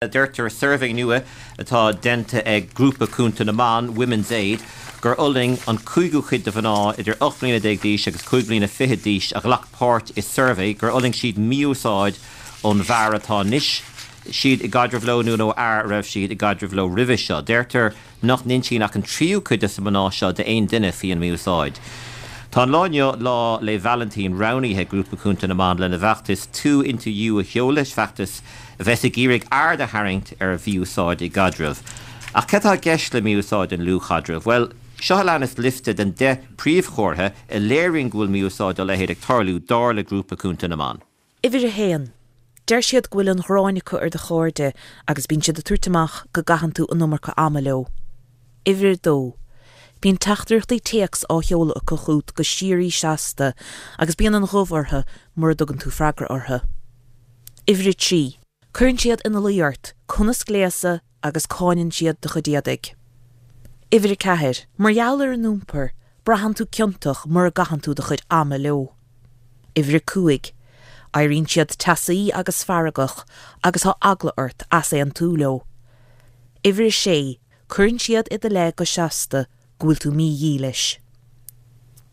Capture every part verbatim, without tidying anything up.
Deirtear i suirbhé nua atá déanta ag Grúpa Cúnta na mBan, Women's Aid, gur fhulaing an cúigiú cuid de mhná idir ocht mbliana déag d'aois agus cúig bliana fichead d'aois a ghlac páirt i suirbhé gur fhulaing siad mí-úsáid ón bhfear atá anois siad i gcaidreamh leo nó nó fhear a raibh siad i gcaidreamh leo roimhe seo. Deirtear nach n-insíonn ach an tríú cuid de na mná seo d'aon duine faoin mí-úsáid. Tá an lá inniu, Lá 'le Vailintín, roghnaithe ag Grúpa Cúnta na mBan lena bhfeachtas Two Into You a sheoladh, feachtas a bheas ag iarraidh aird a tharraingt ar mhí-úsáid i gcaidreamh. Ach cad atá i gceist le mí-úsáid i ndlúthchaidreamh? Bhuel, seo a leanas liosta den deich príomhchomhartha a léiríonn go bhfuil mí-úsáid dá leithéid ag tarlú dar le Grúpa Cúnta na mBan. Uimhir a haon. Deir siad go bhfuil an ghráin acu ar do chairde agus bíonn siad ag tabhairt amach go gcaitheann tú an iomarca ama leo. Uimhir a dó. Bíonn teachtaireachtaí téacs á sheoladh acu chugat go síoraí seasta agus bíonn an ghoimh orthu mura dtugann tú freagra orthu. Uimhir a trí. Cuireann siad ina luí ort conas gléasadh agus cáineann siad do chuid éadaigh. Uimhir a ceathair. Mar gheall ar a n-iompar, braitheann tú ciontach mura gcaitheann tú do chuid ama leo. Uimhir a cúig. Éiríonn siad teasaí agus feargach agus tá eagla ort easaontú leo. Uimhir a sé. Cuireann siad i do leith go seasta go bhfuil tú mídhílis.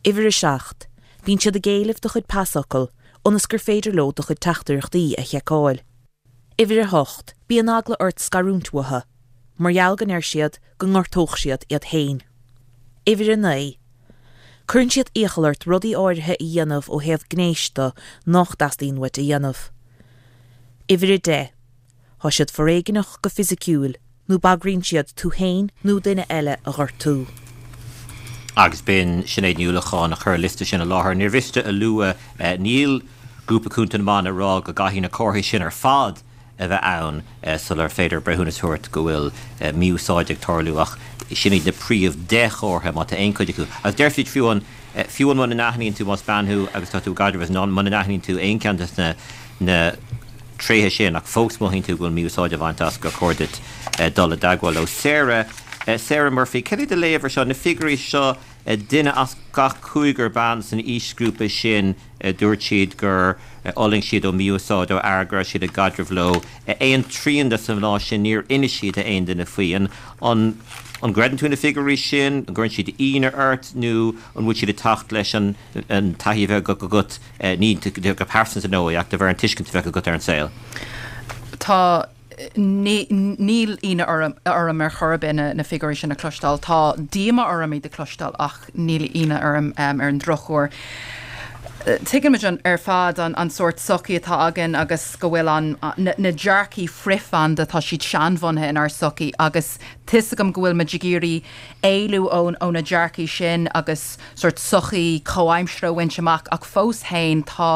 Uimhir a seacht. Bíonn siad ag éileamh do chuid pasfhocal ionas gur féidir leo do chuid teachtaireachtaí a sheiceáil. Uimhir a hocht. Bíonn eagla ort scarúint uathu, mar gheall go ndeir siad go ngortódh siad iad féin. Uimhir a naoi. Cuireann siad iachall ort rudaí áirithe a dhéanamh ó thaobh gnéis de nach dteastaíonn uait a dhéanamh. Uimhir a deich. Tá siad foréigneach go fisiciúil nó bagraíonn siad tú féin nó duine eile a ghortú. Agus b'in Sinéad Ní Uallacháin a chuir an liosta sin i láthair. Níor mhiste a lua, níl Grúpa Cúnta na mBan ag rá go gcaithfidh na comharthaí sin ar fad a bheith ann sular féidir breithiúnas a thabhairt go bhfuil mí-úsáid ag tarlú ach sin iad na príomh deich chomhartha má tá aon chuid acu. Agus deir siad fiú an fiú an muna n-aithníonn tú más bean thú agus tá tú i gcaidreamh is muna n-aithníonn tú aon cheann de na na tréithe sin ach fós mothaíonn tú go bhfuil mí-úsáid á bhaint as gur chóir duit dul i dteagmháil leo. Sarah Sarah Murphy, cad é do léamh ar seo, na figiúirí seo, duine as gach cúigear ban san aoisghrúpa sin dúirt siad gur fhulaing siad ó mhí-úsáid ó fhear go raibh siad i gcaidreamh leo. Aon trian de na mná sin níor inis siad d'aon duine faoi. An an an gcreideann tú na figiúirí sin, an gcuireann siad ionadh ort nó an bhfuil siad ag teacht leis an an taithí a bheith agat ní go pearsanta nó ach de bharr an tuiscint a bheith agat ar an saol? Tá níl ionadh orm, orm ar chor ar bith na, na figiúirí sin a chloisteáil. Tá díomá orm iad a chloisteáil ach níl ionadh orm um, ar an drochuair. Tuigimid an ar fad an, an sórt sochaí atá againn agus go bhfuil an na, na dearcthaí frithbhanda tá siad seanbhunaithe inár sochaí agus tá fhios agam go bhfuil muid ag iarraidh éalú ón ó na dearcthaí sin agus sórt sochaí comhaimseartha a bhaint amach ach fós féin tá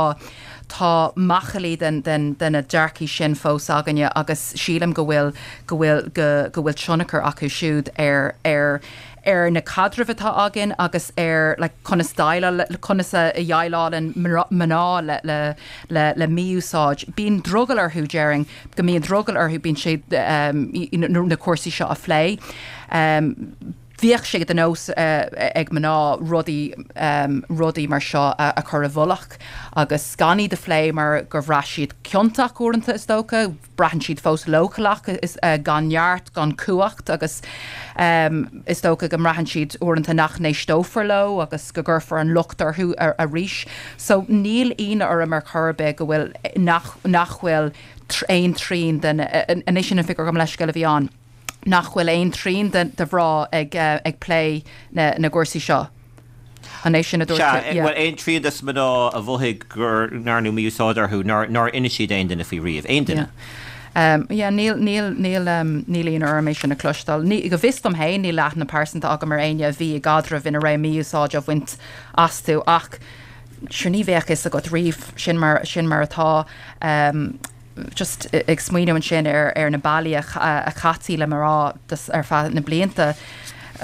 tá machaillí den, den, den na dearcthaí sin fós againne agus sílim go bhfuil go bhfuil go, go bhfuil tionchar acu siúd ar ar ar na caidrimh atá againn agus ar like, conas déileáil conas a dhéileálann mná le le le, le mí-úsáid. Bíonn drogall orthu déarfainn go mbíonn drogall orthu bíonn sé um, na cúrsaí seo a phlé. Um, Bhíodh sé de nós uh, ag mná rudaí um, rudaí mar seo a, a chur i bhfolach agus gan iad a phlé mar gur bhraith siad ciontach uaireanta is dócha, braitheann siad fós leochaileach is uh, gan neart gan cumhacht agus um, is dócha go mbraitheann siad uaireanta nach n-éisteofar leo agus go gcuirfear an locht orthu ar, arís. So níl ionadh orm ar chor ar bith go bhfuil nach, nach bhfuil aon trian den anois sin an figiúr gabh mo leithscéal a bhí ann. nach bhfuil aon trian de, de mhná ag, uh, ag plé na, na cúrsaí seo. An é sin a dúirt Well aon trian de na mná a mhothaigh gur ndearnadh mí-úsáid orthu nár nár inis siad aon duine faoi riamh aon duine. Um, yeah, níl níl níl um, níl ionadh orm é sin a chloisteáil. Ní go bhfios dom féin níl aithne pearsanta agam ar éinne a bhí i gcaidreamh ina raibh mí-úsáid á bhaint astu ach sure ní bheadh fhios agat riamh sin mar sin mar atá um, just ag smaoineamh ansin ar ar na bealaí a chaití le mná ar feadh na blianta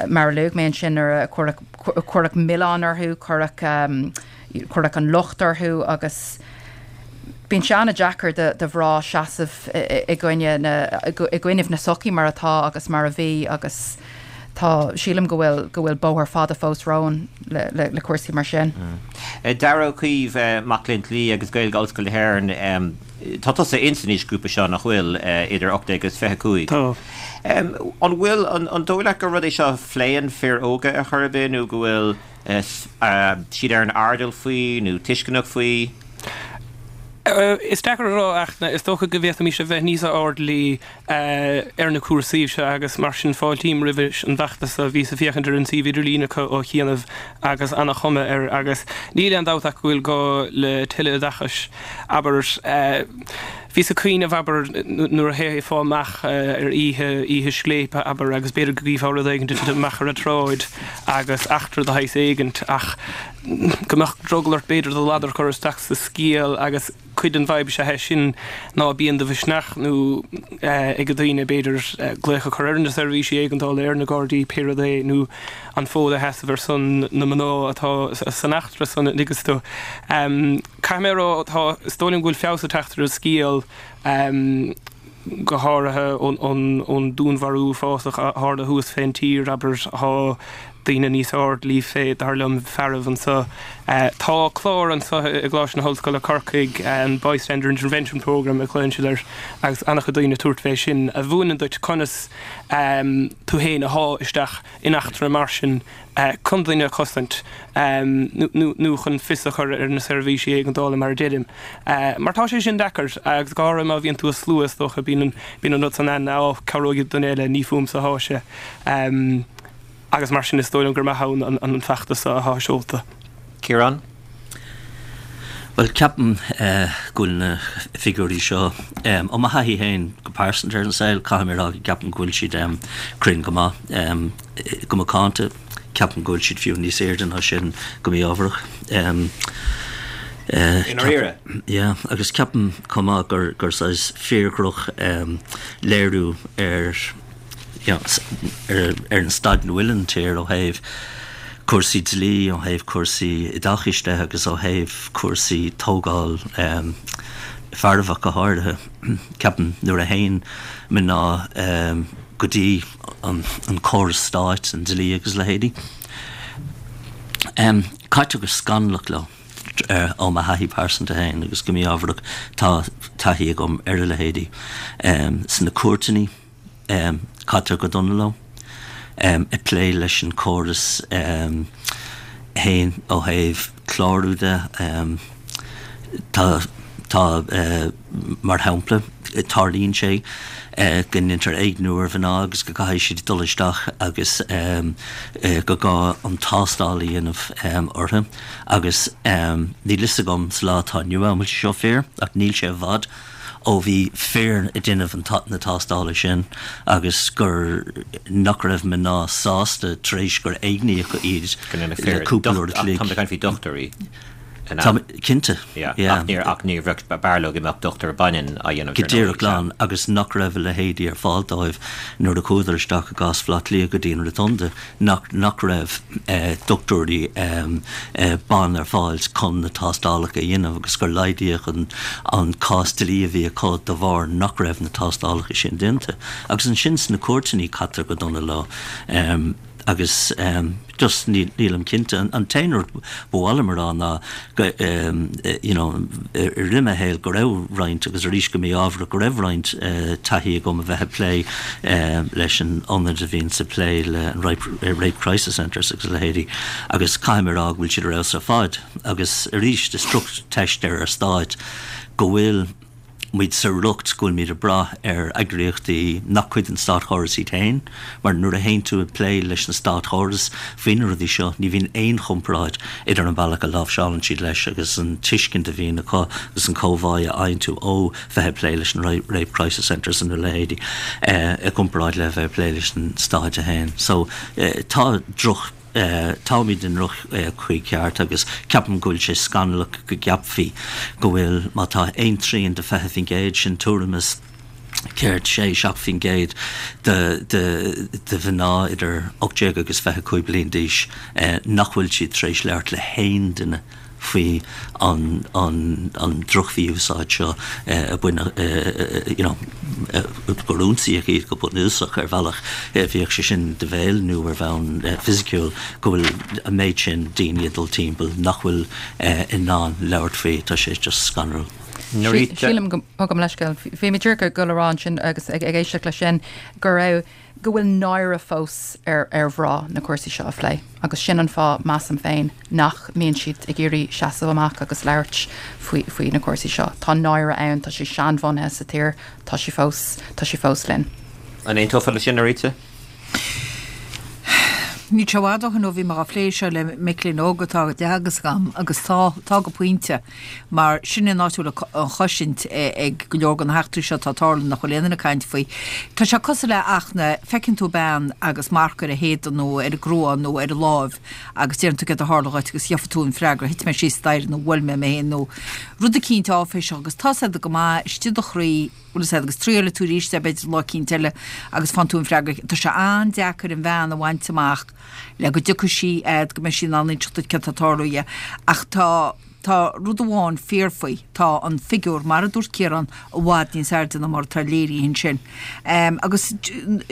mar a luaigh mé ansin ar a cuireadh milleán orthu cuireadh um, cuireadh an locht orthu agus bíonn sé an-deacair de de mhná seasamh i gcoinne na i gcoinnibh na sochaí mar atá agus mar a bhí agus tá sílim go bhfuil go bhfuil bóthar fada fós romhainn le, le, le cúrsaí mar sin. Mm. Dara Ó Caoimh mac léinn dlí agus Gaeilge Ollscoil na hÉireann Tá tusa in san aoisghrúpa seo nach bhfuil idir ocht déag agus fiche cúig. Tá. An bhfuil, an dóigh leat gur rud é seo a phléann fir óga ar chor ar bith nó go bhfuil siad ar an airdeall faoi nó tuisceanach faoi? Is deacair a rá ach is dócha go bhféadfaimis a bheith níos airdeallaí ar na cúrsaí seo agus mar sin fáiltím roimh an bhfeachtas a bhíos ag féachaint ar an suíomh idirlín acu ó chianaibh agus ana-chuma air agus níl aon dabht ach go bhfuil gá le tuilleadh oideachais. Abair, bhíos ag cuimhneamh, abair, nuair a théifeá amach ar oíche, oíche scléipe, abair, agus b'fhéidir go gcífeá rud éigin ag titim amach ar an tsráid agus eachtra de shaghas éigint ach go mbeadh drogall ort b'fhéidir do ladar a chur isteach sa scéal agus cuid den bhfadhb is ea é sin ná bíonn de mhisneach nó ag daoine b'fhéidir glaoch a chur ar na seirbhísí éigeandála, ar na Gardaí, pé rud é, nó an fód a sheasamh ar son na mná atá san eachtra san, an dtuigeann tú. Caithfidh mé a rá, tá, is dóigh liom go bhfuil feabhas ag teacht ar an scéal, go háirithe ón dúnmharú uafásach a tharla thuas fén tír, abair, tá daoine níos airdeallaí fé, dar liom, fearaibh anso. Tá clár anso i gColáiste na hOllscoile Corcaigh, an Bystander Intervention Programme a ghlaonn siad air, agus an-chuid daoine ag tabhairt fé sin, a mhúineann duit conas tú féin a shá isteach in eachtra mar sin chun duine a chosaint nó chun fios a chur ar na seirbhísí éigeandála mar a deirim. Mar tá sé sin deacair agus go háirithe má bhíonn tú i slua is dócha, bíonn an rud san ann, á, cabhróidh duine eile, ní fúmsa atá sé. Agus mar sin is dóigh liom gur maith ann an feachtas atá seolta. Ciarán? Bhuel, ceapaim go bhfuil na figiúirí seo, ó mo thaithí féin go pearsanta ar an saol, caithfidh mé a rá go gceapaim go bhfuil siad cruinn go maith. Go macánta, ceapaim go bhfuil siad fiú níos airde ná sin go mí-ámharach. I ndáiríre? Yeah, agus ceapaim chomh maith gur gur saghas fíordhroch léiriú ar ar an staid ina bhfuil an tír ó thaobh cúrsaí dlí, ó thaobh cúrsaí oideachais de agus ó thaobh cúrsaí tógáil fearaibh ach go háirithe. Ceapaim nuair a théann mná go dtí an córas stáit, an dlí agus a leithéidí, caitear go scannalach leo ó mo thaithí pearsanta féin agus go mí-ámharach tá taithí agam ar a leithéidí sna cúirteanna. Caitear go dona leo. Ag plé leis an córas féin ó thaobh clárú de, tá, tá, mar shampla, tarlaíonn sé go ndéantar éigniú ar mhná agus go gcaithfidh siad dul isteach agus go gá an tástáil a dhéanamh orthu agus níl fhios agam sa lá atá inniu ann an bhfuil sé seo fíor ach níl sé i bhfad ó bhí fir ag déanamh na tástála sin agus gur nach raibh mná sásta tar éis gur éigníodh iad le cúpla uair a chloig. Tá mé ag caint faoi dochtúirí. Tá mé cinnte. Yeah. Ach níor ach ní bheadh b'fhearr leo go mbeadh dochtúir baineann á dhéanamh Go díreach glan agus nach raibh a leithéidí ar fáil dóibh nuair a chuadar isteach i gcás Bhaile Átha Cliath go dtí an Rotunda nach nach raibh dochtúirí ban ar fáil chun na tástálacha a dhéanamh agus gur laghdaíodh an an cás dlí a bhí acu de bharr nach raibh na tástálacha sin déanta. Agus ansin sna cúirteanna caitear go dona leo agus just nílim cinnte. An t-aon rud ba mhaith liom a rá ná go you know i rith mo shaoil go raibh roinnt agus arís go mí-ámharach go raibh roinnt taithí agam a bheith ag plé leis an ionad a bhíonns ag plé le an Rape Crisis Centres agus a leithéidí agus caithfidh mé a rá go bhfuil siad ar fheabhas ar fad agus arís is droch-teist ar ár stáit go bhfuil muid sa riocht go bhfuilimid ag brath ar eagraíochtaí nach cuid den státchóras iad féin, mar nuair a théann tú ag plé leis na státchóras faoi na rudaí seo, ní bhíonn aon chomparáid idir an bealach a láimhseálann siad leis agus an tuiscint a bhíonn acu agus an comhbhá a fhaigheann tú ó bheith ag plé leis an Rape Crisis Centres nó a leithéidí i gcomparáid le bheith ag plé leis an stáit féin. So, tá droch. Táimid i ndroch-chaoi ceart agus ceapaim go bhfuil sé scannalach go gceapfaí go bhfuil, má tá aon trian de fiche faoin gcéad, sin tuairim is céard, sé, seacht faoin gcéad de de mhná idir ocht déag agus fiche cúig bliain d'aois nach bhfuil siad tar éis labhairt le haon duine faoi an an droch-mhí-úsáid seo a baineadh you know gur ionsaíodh iad go bunúsach ar bhealach, bíodh sé sin de bhéal nó ar bhonn fisiciúil, go bhfuil an méid sin daoine ag dul timpeall nach bhfuil in ann labhairt faoi, tá sé just scanrúil. Sílim go gabh mo leithscéal bhí mé díreach ag dul a rá ansin agus ag éisteacht leis sin go raibh go bhfuil náire fós ar ar mhná na cúrsaí seo a phlé agus sin an fáth measaim féin nach mbíonn siad ag iarraidh seasamh amach agus labhairt faoi faoi na cúrsaí seo. Tá náire ann tá sé seanbhunaithe sa tír tá sé fós tá sé fós linn. An aontófá leis sin Norita? Níl sé i bhfad ó shin ó bhí mé á phlé seo le mic léinn óga atá á dteagasc agam agus tá, tá go pointe, mar sin an áit a bhfuil an chosaint ag go leor de na heachtraí seo atá ag tarlú nach bhfuil aon duine ag caint faoi. Tá sé cosúil le Fhachtna, feiceann tú bean agus marc ar a héadan nó ar a grua nó ar a láimh agus deireann tú céard a tharla dhuit agus gheobhaidh tú an freagra, thit mé síos staighre nó bhuail mé mé féin nó rud eicínt áiféiseach agus tá siad go maith istigh i do chroí, bhfuil a fhios agat agus triailfidh tú arís é b'fhéidir lá eicínt eile agus faigheann tú an freagra. Tá sé an-deacair an bhean a bhaint amach le go dtiocfaidh sí fhad go mbeidh sí in ann inseacht duit céard atá ag tarlú di. Ach tá tá rud amháin fíor faoi, tá an figiúr, mar a dúirt Ciarán, i bhfad níos airde ná mar atá léirithe ansin. Agus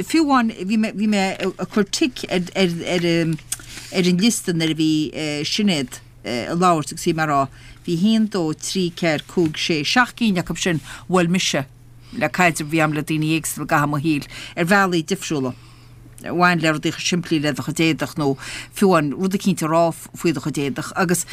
fiú amháin bhí mé bhí mé ag cur tic ar ar ar ar an liosta nuair a bhí Sinéad ag labhairt agus bhí mé ag rá, bhí haon, dó, trí, ceathair, cúig, sé, seacht gcinn acu sin a bhuail mise le caidreamh a bhí agam le daoine éagsúla i gcaitheamh mo shaoil, ar bhealaí difriúla, a bhain le rudaí chomh simplí le do chuid éadach nó fiú amháin rud eicínt a rá faoi do chuid éadach. Agus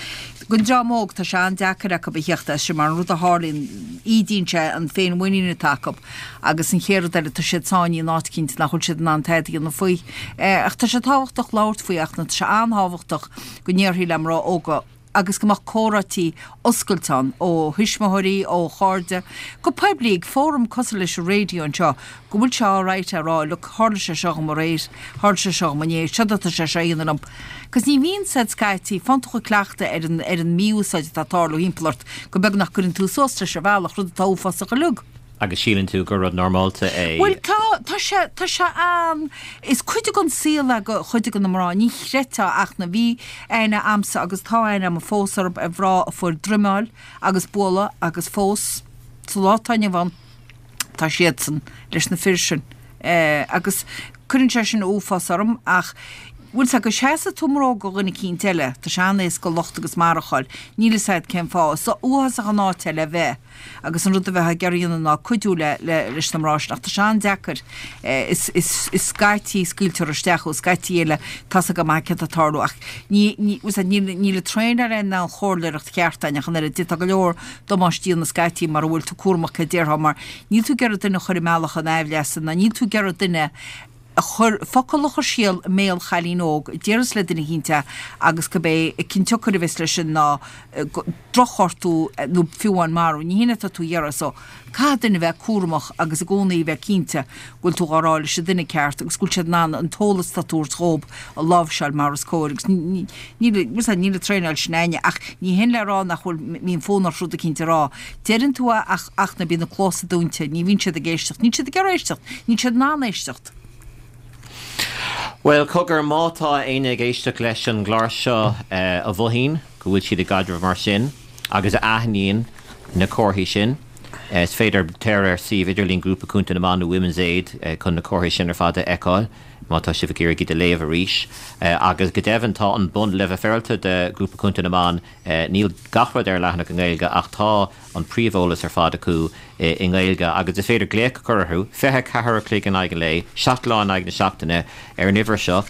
don dream óg, tá sé an-deacair acu a theacht as sin mar an rud a tharlaíonn, ídíonn sé an féinmhuinín atá acu agus an chéad rud eile, tá siad sáinnithe in áit eicínt nach bhfuil siad in ann tada a dhéanamh faoi. Ach tá sé tábhachtach labhairt faoi ach tá sé an-tábhachtach go ndéarfaí le mná óga, agus go mbeadh comhráití oscailte ann, ó thuismitheoirí, ó chairde, go poiblí, ag fóram cosúil leis an raidió anseo, go bhfuil sé alright a rá, look, tharla sé seo dhom aréir, tharla sé seo dhom inné, seod atá sé seo a dhéanamh liom. Cos ní bhíonn said scaití, faigheann tú chomh cleachta ar an, ar an mí-úsáid atá ag tarlú thimpeall ort, go beagnach gcuireann tú suas leis ar bhealach, rud atá uafásach uilig. Agus síleann tú gur rud normálta é? Bhuel, tá, tá sé, tá sé an, is cuid den saol é do chuid de na mná, ní chreidfeá ach na, bhí aithne a'msa agus tá aithne a'm fós orthub ar mhná a fuair droimeáil agus bualadh agus fós sa lá atá inniu ann tá siadsan leis na fir sin. Agus cuireann sé sin uafás orm ach bhfuil 's a'd go seasfaidh tú i mbróg do dhuine eicínt eile, tá sé an-éasca locht agus maradh a fháil, níl 'fhios a'd cén fáth, is uafásach an áit é le bheith agus an rud a bheifeá ag iarraidh a dhéanamh ná cuidiú le, le, leis na mná sin ach tá sé an-deacair, is, is, is scaití scaoiltear isteach thú, scaití eile tá's agat go maith céard atá ag tarlú ach ní, ní, bhfuil 's a'd, níl, níl an traenáil in ann chomhairleoireacht cheart a dhéanamh ach an oiread, d'fhéadfá go leor damáistí a dhéanamh scaití mura bhfuil tú cúramach céard a déarfá mar níl tú ag iarraidh duine a chur i mbealach an aimhleasa ná níl tú ag iarraidh duine a chur, focal a chur siar i mbéal chailín óg a déarfas le duine eicínt é agus gurb é an cionsiocair a bheas leis sin ná drochghortú nó fiú amháin marú. Ní hin atá tú a iarraidh so caithfidh duine bheith cúramach agus i gcónaí bheith cinnte go bhfuil tú dhá rá leis an duine ceart agus go bhfuil siad in ann an t-eolas atá tú a thabhairt dhób a láimhseáil mar is cóir agus níl, níl an traenáil sin a'inne ach ní hin le rá nach bhfuil, mbíonn fonn ort rud eicínt a rá. Deireann tú é ach ach na bíonn na cluasa dúnta, ní bhíonn siad ag éisteacht, níl siad ag iarraidh éisteacht, níl siad in ann éisteacht. Bhuel, cogar, má tá éinne ag éisteacht leis an gclár seo a mhothaíonn go bhfuil siad i gcaidreamh mar sin agus a aithníonn na comharthaí sin, is féidir téir ar suíomh idirlín Grúpa Cúnta na mBan nó Women's Aid chun na comharthaí sin ar fad a fheiceáil, má tá sibh ag iarraidh iad a léamh arís. Agus go deimhin, tá an Bun Leibhe de Ghrúpa Cúnta na mBan, níl gach rud ar an leathanach i nGaeilge ach tá an príomheolas ar fad acu i nGaeilge agus is féidir glaoch a chur orthu, fiche a ceathair a chloig in aghaidh an lae, seacht lá in aghaidh na seachtaine, ar an uimhir seo,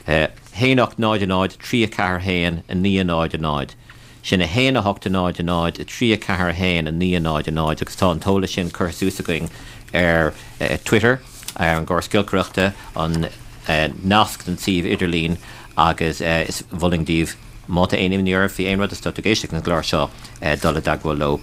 a haon ocht náid a náid, trí a ceathair a haon, a naoi a náid a náid. Sin a haon a hocht a náid a náid, a trí a ceathair a haon, a naoi a náid a náid agus tá an t-eolas sin curtha suas againn ar Twitter, ar an gcóras giolcaireachta, an nasc don suíomh idirlín agus is mholfainn daoibh, má tá aon imní oraibh faoi aon rud is tá tú ag éisteacht leis an gclár seo, dul i dteagmháil leo.